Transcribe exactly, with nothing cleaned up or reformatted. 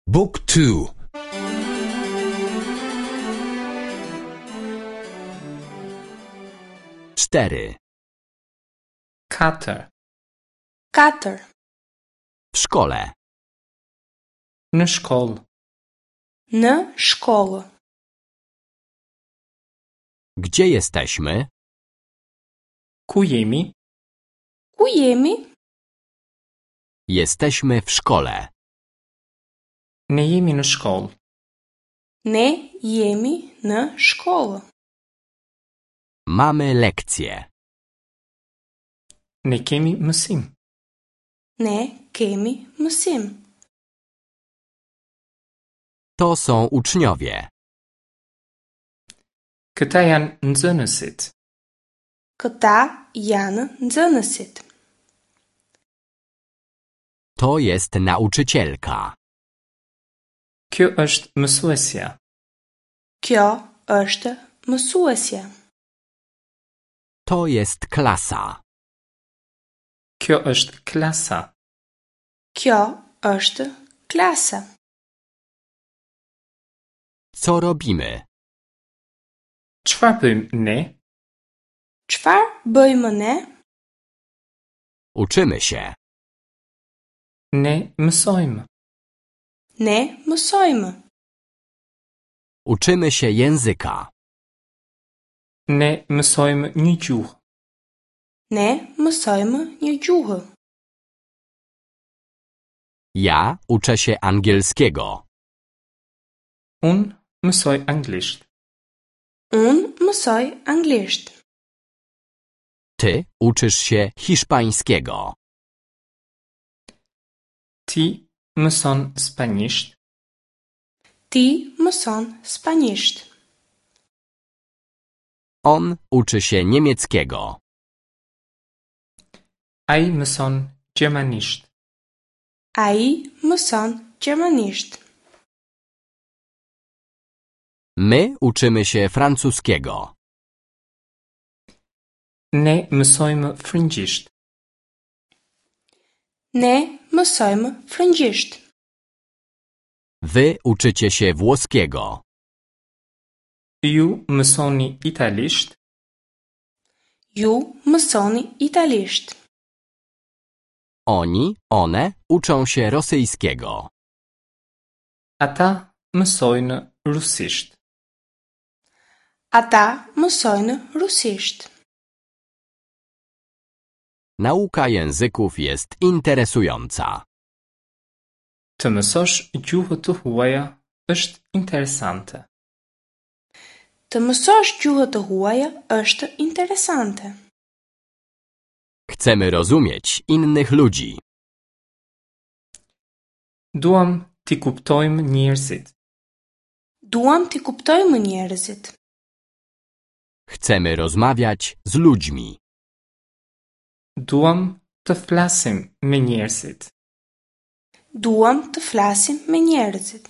Book two. Cztery. Katër. Katër. W szkole. Në shkollë. Në shkollë. Gdzie jesteśmy? Ku jemi? Ku jemi? Jesteśmy w szkole. Ne jemi në shkollë. Ne jemi në shkollë. Mamy lekcje. Ne kemi mësim. Ne kemi mësim. To są uczniowie. Këta janë nxënësit. Këta janë nxënësit. To jest nauczycielka. Kjo është mësuesja. Kjo është mësuesja. To jest klasa. Kjo është klasa. Kjo është klasa. Co robimy? Çfarë bëjmë ne? Çfarë bëjmë ne? Uczymy się. Ne mësojmë. Ne mësojmë. Uczymy się języka. Ne mësojmë një gjuhë. Ne mësojmë një gjuhë. Ja uczę się angielskiego. Unë mësoj anglisht. Unë mësoj anglisht. Ty uczysz się hiszpańskiego. Ti mëson spanjisht. Ti mëson spanjisht. On uczy się niemieckiego. Ai mëson gjermanisht. Ai mëson gjermanisht. My uczymy się francuskiego. Ne mësojmë frëngjisht. Ne mësojmë frëngjisht. Wy uczycie się włoskiego. Ju mësoni italisht. Ju mësoni italisht. Oni, one uczą się rosyjskiego. Ata mësojnë rusisht. Ata mësojnë rusisht. Nauka języków jest interesująca. Të mësosh gjuhë të huaja është interesante. Të mësosh gjuhë të huaja është interesante. Chcemy rozumieć innych ludzi. Duam t'i kuptojmë njerëzit. Duam t'i kuptojmë njerëzit. Chcemy rozmawiać z ludźmi. Duam të flasim me njerëzit. Duam të flasim me njerëzit.